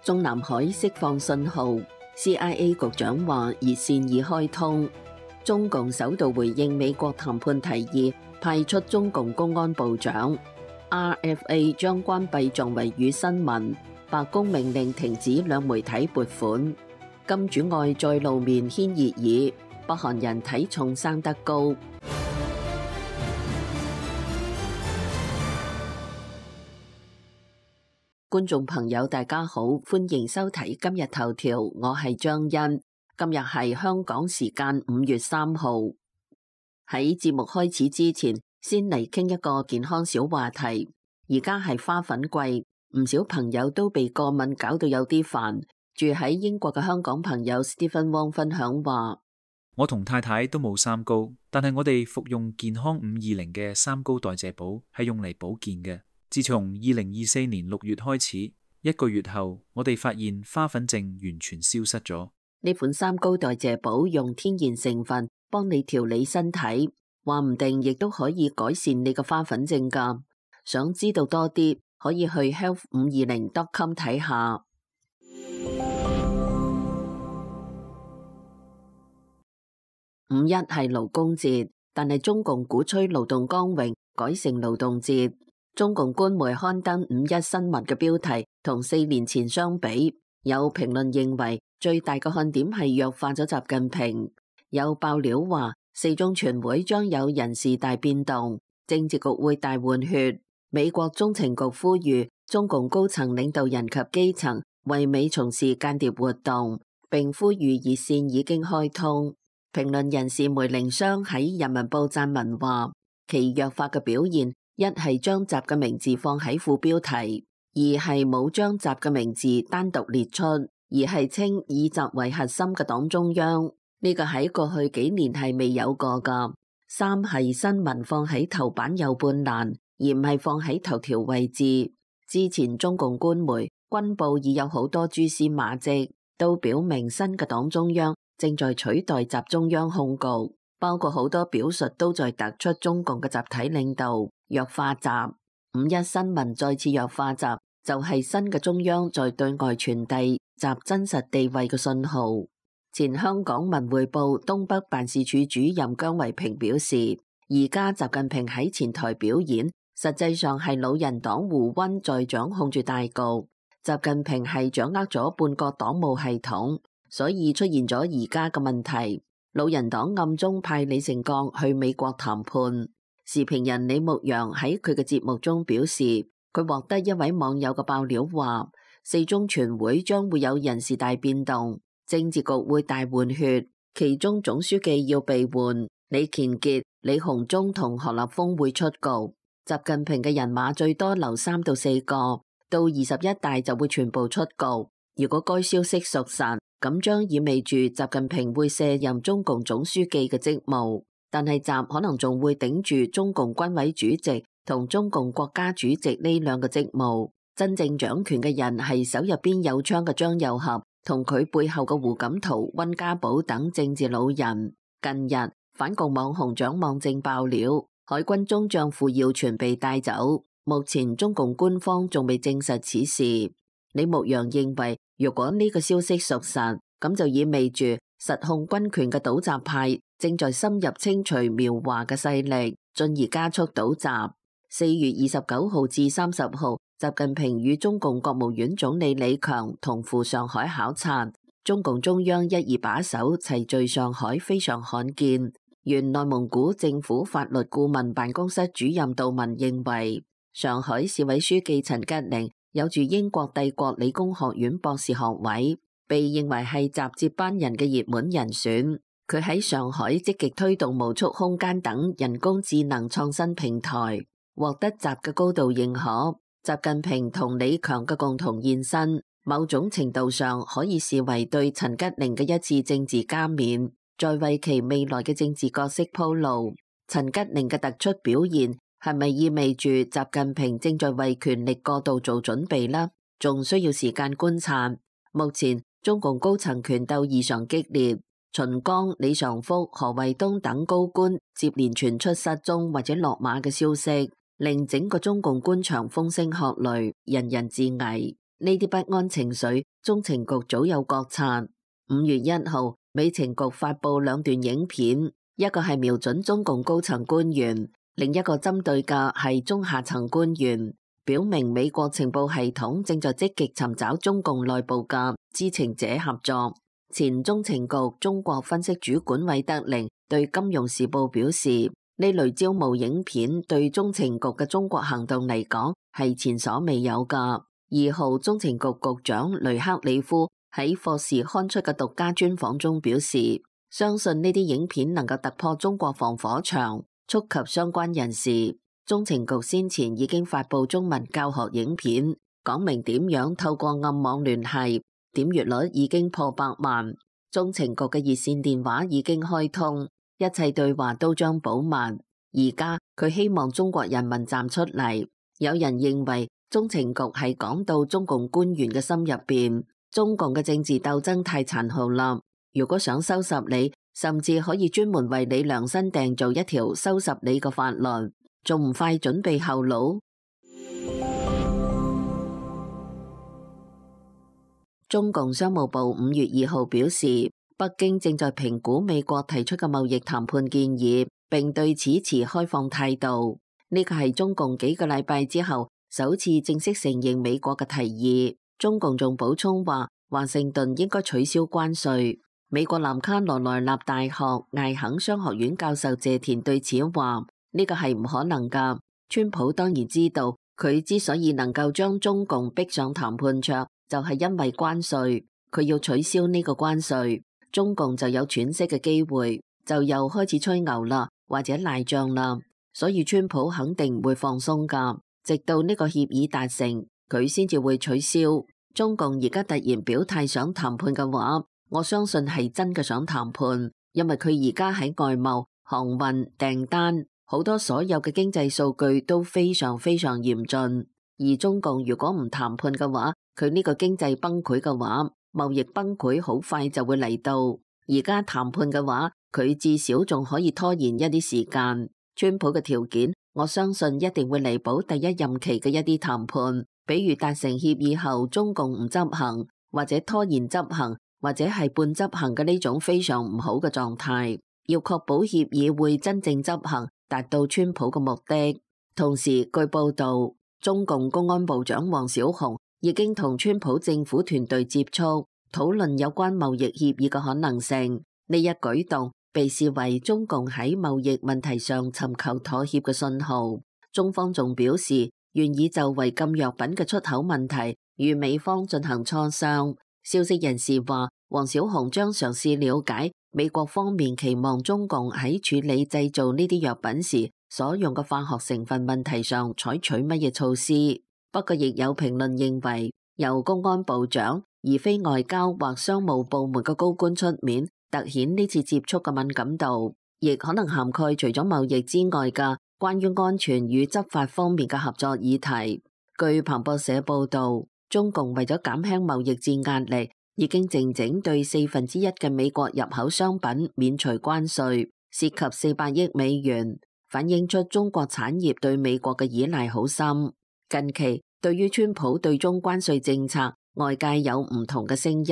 中南海釋放信號 ，CIA 局長話熱線已開通。中共首度回應美國談判提議，派出中共公安部長。RFA 將關閉作為與新聞。白宮命令停止兩媒體撥款。金主愛再露面掀熱議，北韓人體重生得高。觀眾朋友大家好，歡迎收睇今日頭條，我係張欣。今日係香港時間5月3號。喺節目開始之前，先嚟傾一個健康小話題。而家係花粉季，唔少朋友都被過敏搞到有啲煩。住喺英國嘅香港朋友 Stephen Wong 分享話：我同太太都冇三高，但係我哋服用健康520嘅三高代謝寶係用嚟保健嘅。自從2024年6月開始，1個月後，我哋發現花粉症完全消失咗。呢款三高代謝寶用天然成分幫你調理身體，話唔定亦都可以改善你嘅花粉症㗎。想知道多啲，可以去 health520.com 睇下。5.1係勞工節，但係中共鼓吹勞動光榮，改成勞動節。中共官媒刊登5.1新聞嘅標題，同4年前相比，有評論認為最大嘅看點係弱化咗習近平。有爆料話，四中全會將有人事大變動，政治局會大換血。美國中情局呼籲中共高層領導人及基層為美從事間諜活動，並呼籲熱線已經開通。評論人士梅凌湘喺人民報撰文話，其弱化嘅表現，一係將習嘅名字放喺副標題，二係冇將習嘅名字單獨列出，而係稱以習為核心嘅黨中央，呢個喺過去幾年係未有過噶。三係新聞放喺頭版右半欄，而唔係放喺頭條位置。之前中共官媒軍報已有好多蛛絲馬跡，都表明新嘅黨中央正在取代習中央控局，包括好多表述都在突出中共嘅集體領導，弱化習。5.1新聞再次弱化習，就係新嘅中央在對外傳遞習真實地位嘅信號。前香港文匯報東北辦事處主任姜維平表示，而家習近平喺前台表演，實際上係老人黨胡溫在掌控住大局，習近平係掌握咗半個黨務系統，所以出現咗而家嘅問題。老人黨暗中派李成鋼去美國談判。時評人李牧陽喺佢嘅節目中表示，佢獲得一位網友嘅爆料話，四中全會將會有人事大變動，政治局會大換血，其中總書記要被換，李乾傑、李鴻忠同何立峰會出局。習近平嘅人馬最多留3到4個，到21大就會全部出局。如果該消息屬實，咁將意味住習近平會卸任中共總書記嘅職務，但係習可能仲會頂住中共軍委主席同中共國家主席呢兩個職務。真正掌權嘅人係手入邊有槍嘅張又俠同佢背後嘅胡錦濤、溫家寶等政治老人。近日反共網紅蔣望正爆料，海軍中將傅耀全被帶走，目前中共官方仲未證實此事。李牧陽認為，如果呢個消息屬實，咁就意味住實控軍權嘅倒習派正在深入清除苗華嘅勢力，進而加速倒習。4月29號至30號，習近平與中共國務院總理李強同赴上海考察，中共中央一二把手齊聚上海，非常罕見。原內蒙古政府法律顧問辦公室主任杜文認為，上海市委書記陳吉寧有住英國帝國理工學院博士學位，被認為係習接班人嘅熱門人選。佢喺上海積極推動無束空間等人工智能創新平台，獲得習嘅高度認可。習近平同李強嘅共同現身，某種程度上可以視為對陳吉寧嘅一次政治加冕，在為其未來嘅政治角色鋪路。陳吉寧嘅突出表現，係咪意味住習近平正在為權力過渡做準備呢？仲需要時間觀察。目前中共高層權鬥異常激烈，秦剛、李尚福、何衛東等高官接連傳出失蹤或者落馬嘅消息，令整個中共官場風聲鶴唳，人人自危。呢啲不安情緒，中情局早有覺察。5月1號，美情局發布2段影片，一個係瞄準中共高層官員，另一個針對嘅係中下層官員，表明美國情報系統正在積極尋找中共內部嘅知情者合作。前中情局中國分析主管韋德寧對《金融時報》表示，呢類招募影片對中情局嘅中國行動嚟講係前所未有㗎。2號，中情局局長雷克里夫喺霍士刊出嘅獨家專訪中表示，相信呢啲影片能夠突破中國防火牆，觸及相關人士。中情局先前已經發布中文教學影片，講明點樣透過暗網聯繫，點閱率已經破100萬。中情局嘅熱線電話已經開通，一切對話都將保密。而家佢希望中國人民站出嚟。有人認為中情局係講到中共官員嘅心入邊，中共嘅政治鬥爭太殘酷啦。如果想收拾你，甚至可以專門為你量身訂造一條收拾你嘅法律，仲唔快準備後路？中共商務部5月2號表示，北京正在評估美國提出嘅貿易談判建議，並對此持開放態度。呢個係中共幾個禮拜之後首次正式承認美國嘅提議。中共仲補充話，華盛頓應該取消關稅。美國南卡羅來納大學艾肯商學院教授謝田對此話，呢個係唔可能㗎。川普當然知道，佢之所以能夠將中共逼上談判桌，就係因為關稅。佢要取消呢個關稅，中共就有喘息嘅機會，就又開始吹牛啦，或者賴賬啦。所以川普肯定唔會放鬆㗎，直到呢個協議達成，佢先至會取消。中共而家突然表態想談判嘅話，我相信係真嘅想談判，因為佢而家喺外貿、航運、訂單好多所有嘅經濟數據都非常非常嚴峻。而中共如果唔談判嘅話，佢呢個經濟崩潰嘅話，貿易崩潰好快就會嚟到。而家談判嘅話，佢至少仲可以拖延一啲時間。川普嘅條件，我相信一定會彌補第一任期嘅一啲談判，比如達成協議後中共唔執行，或者拖延執行，或者係半執行嘅呢種非常唔好嘅狀態。要確保協議會真正執行，達到川普嘅目的。同時，據報道，中共公安部長王小洪已經同川普政府團隊接觸，討論有關貿易協議嘅可能性。呢一舉動被視為中共喺貿易問題上尋求妥協嘅信號。中方仲表示願意就違禁藥品嘅出口問題與美方進行磋商。消息人士話，王小洪將嘗試了解美國方面期望中共喺處理製造呢啲藥品時所用嘅化學成分問題上採取乜嘢措施。不過亦有評論認為，由公安部長而非外交或商務部門嘅高官出面，凸顯呢次接觸嘅敏感度，亦可能涵蓋除咗貿易之外嘅關於安全與執法方面嘅合作議題。據彭博社報道，中共為咗減輕貿易戰壓力，已經靜靜對1/4嘅美國入口商品免除關稅，涉及400億美元，反映出中國產業對美國嘅依賴好深。近期對於川普對中關稅政策，外界有唔同嘅聲音。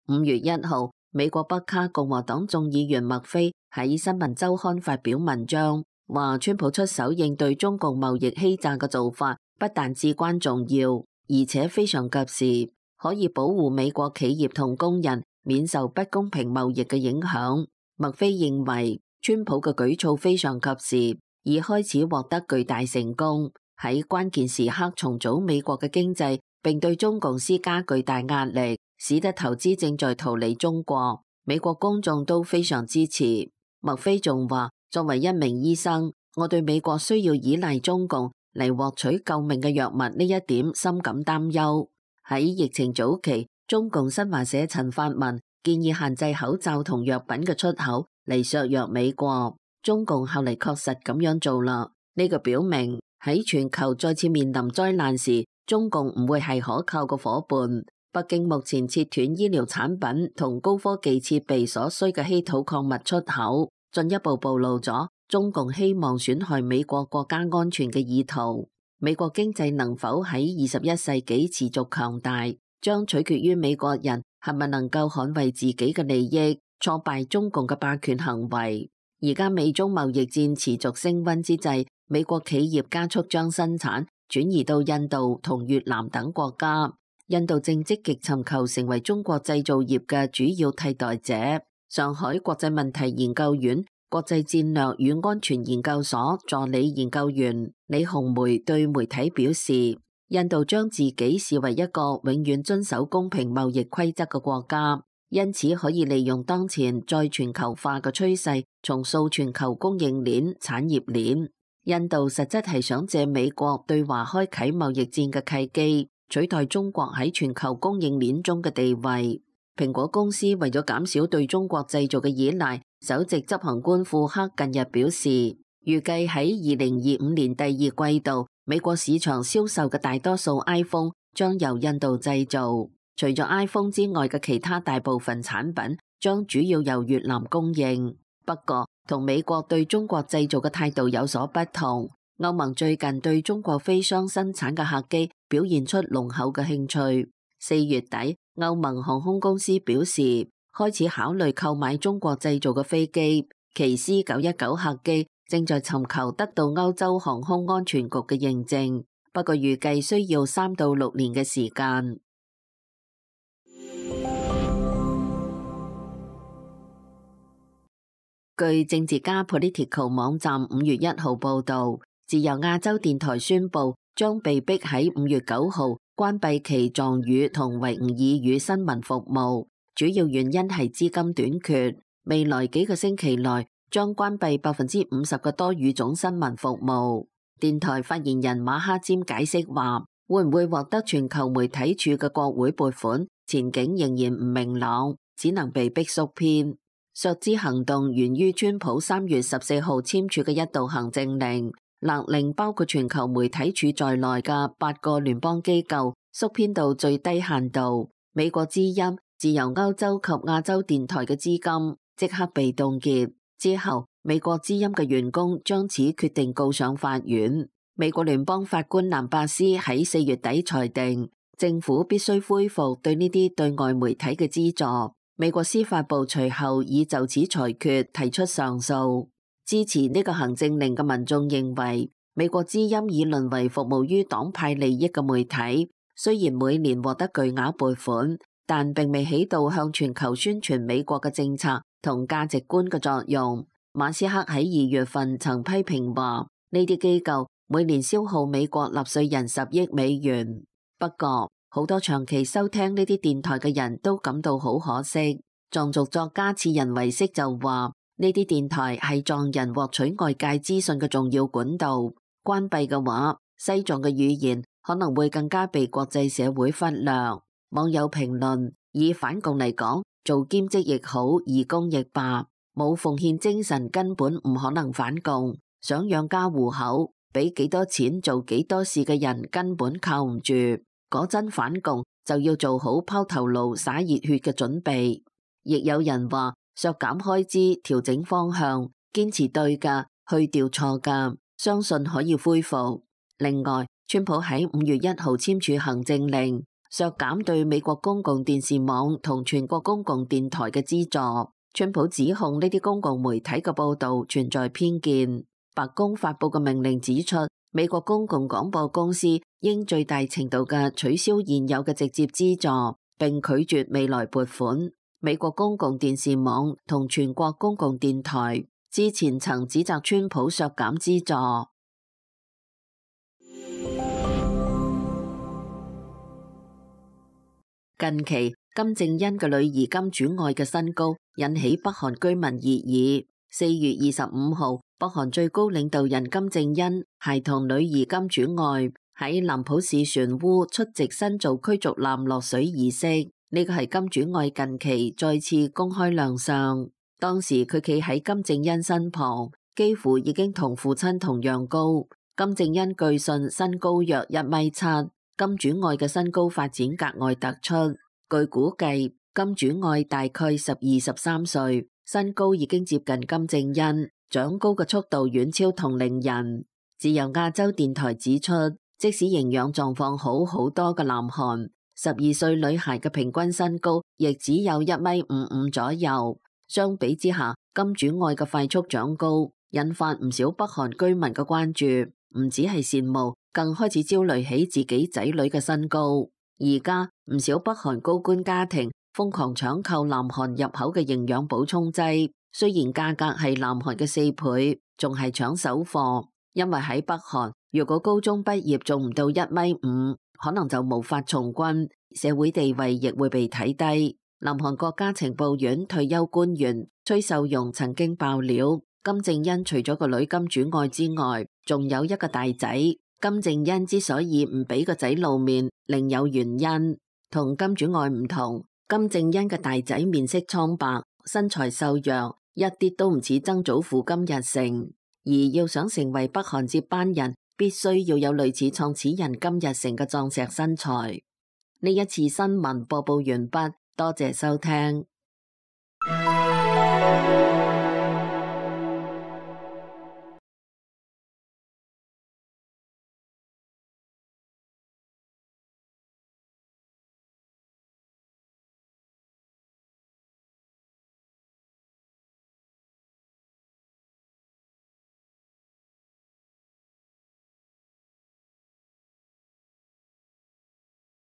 5月1號，美國北卡共和黨眾議員麥菲喺新聞週刊發表文章，話川普出手應對中共貿易欺詐嘅做法，不但至關重要，而且非常及時，可以保護美國企業同工人免受不公平貿易嘅影響。麥菲認為川普嘅舉措非常及時，已開始獲得巨大成功，喺關鍵時刻重組美國嘅經濟，並對中共施加巨大壓力，使得投資正在逃離中國。美國公眾都非常支持。麥菲仲話，作為一名醫生，我對美國需要依賴中共嚟獲取救命嘅藥物呢一點深感擔憂。喺疫情早期，中共新華社陳發文建議限制口罩同藥品嘅出口嚟削弱美國。中共後嚟確實咁樣做啦。呢個表明喺全球再次面臨災難時，中共唔會係可靠嘅夥伴。北京目前切斷醫療產品同高科技設備所需嘅稀土礦物出口，進一步暴露咗中共希望損害美國國家安全嘅意圖。美國經濟能否喺21世紀持續強大，將取決於美國人係咪能夠捍衛自己嘅利益，挫敗中共嘅霸權行為。而家美中貿易戰持續升溫之際，美國企業加速將生產轉移到印度同越南等國家。印度正積極尋求成為中國製造業嘅主要替代者。上海國際問題研究院國際戰略與安全研究所助理研究員李紅梅對媒體表示，印度將自己視為一個永遠遵守公平貿易規則嘅國家，因此可以利用當前再全球化嘅趨勢，重塑全球供應鏈、產業鏈。印度實質係想借美國對華開啟貿易戰嘅契機，取代中國喺全球供應鏈中嘅地位。蘋果公司為咗減少對中國製造嘅依賴，首席執行官庫克近日表示，預計喺2025年第二季度，美國市場銷售嘅大多數 iPhone 將由印度製造。除咗 iPhone 之外嘅其他大部分產品將主要由越南供應。不過，同美國對中國製造嘅態度有所不同。歐盟最近對中國飛商生產嘅客機表現出濃厚嘅興趣。4月底，歐盟航空公司表示開始考慮購買中國製造嘅飛機，其 C919 客機正在尋求得到歐洲航空安全局嘅認證，不過預計需要3到6年嘅時間。據政治家 Political 網站5月1號報導，自由亞洲電台宣布將被迫喺5月9號關閉其藏語同維吾爾語新聞服務，主要原因係資金短缺。未來幾個星期內將關閉50%嘅多語種新聞服務。電台發言人馬哈詹解釋話，會唔會獲得全球媒體處嘅國會撥款，前景仍然唔明朗，只能被迫縮編。削資行動源於川普3月14號簽署嘅一道行政令，勒令包括全球媒體處在內嘅8個聯邦機構縮編到最低限度。美國之音、自由歐洲及亞洲電台嘅資金即刻被凍結。之後，美國之音嘅員工將此決定告上法院。美國聯邦法官蘭伯斯喺4月底裁定，政府必須恢復對呢啲對外媒體嘅資助。美國司法部隨後已就此裁決提出上訴。支持呢個行政令嘅民眾認為，美國之音已淪為服務於黨派利益嘅媒體，雖然每年獲得巨額撥款，但並未起到向全球宣傳美國嘅政策同價值觀嘅作用。馬斯克喺2月份曾批評話，呢啲機構每年消耗美國納稅人10億美元。不過，好多長期收聽呢啲電台嘅人都感到好可惜。藏族作家次仁為色就話，呢啲電台係藏人獲取外界資訊嘅重要管道，關閉嘅話，西藏嘅語言可能會更加被國際社會忽略。網友評論，以反共嚟講，做兼職亦好，義工亦罷，冇奉獻精神根本唔可能反共。想養家糊口，俾幾多錢做幾多事嘅人根本靠唔住。果真反共就要做好拋頭顱灑熱血嘅準備。亦有人話，削減開支，調整方向，堅持對㗎，去掉錯㗎，相信可以恢復。另外，川普喺5月1號簽署行政令，削減對美國公共電視網同全國公共電台嘅資助。川普指控呢啲公共媒體嘅報導存在偏見。白宮發佈嘅命令指出，美國公共廣播公司應最大程度嘅取消現有嘅直接資助，並拒絕未來撥款。美國公共電視網同全國公共電台之前曾指責川普削減資助。近期金正恩嘅女兒金主愛嘅新高引起北韓居民熱議。4月25號，北韓最高領導人金正恩攜同女兒金主愛喺南浦市船塢出席新造驅逐艦落水儀式。呢個係金主愛近期再次公開亮相。當時佢企喺金正恩身旁，幾乎已經同父親同樣高。金正恩據信身高約1.7米，金主愛嘅身高發展格外突出。據估計，金主愛大概12-13歲，身高已經接近金正恩，長高嘅速度遠超同齡人。自由亞洲電台指出，即使營養狀況好好多嘅南韓，12歲女孩嘅平均身高亦只有1.55米左右。相比之下，金主愛嘅快速長高，引發唔少北韓居民嘅關注，唔止係羨慕，更開始焦慮起自己仔女嘅身高。而家唔少北韓高官家庭瘋狂搶購南韓入口嘅營養補充劑，雖然價格係南韓嘅4倍，仲係搶手貨。因為喺北韓，如果高中畢業仲唔到1.5米，可能就無法從軍，社會地位亦會被睇低。南韓國家情報院退休官員崔秀容曾經爆料，金正恩除咗個女金主愛之外，仲有一個大仔。金正恩之所以唔俾個仔露面，另有原因。同金主愛唔同，金正恩嘅大仔面色蒼白，身材瘦弱，一啲都唔似曾祖父金日成。而要想成為北韓接班人，必須要有類似創始人金日成嘅壯碩身材。呢一次新聞播報完畢，多謝收聽。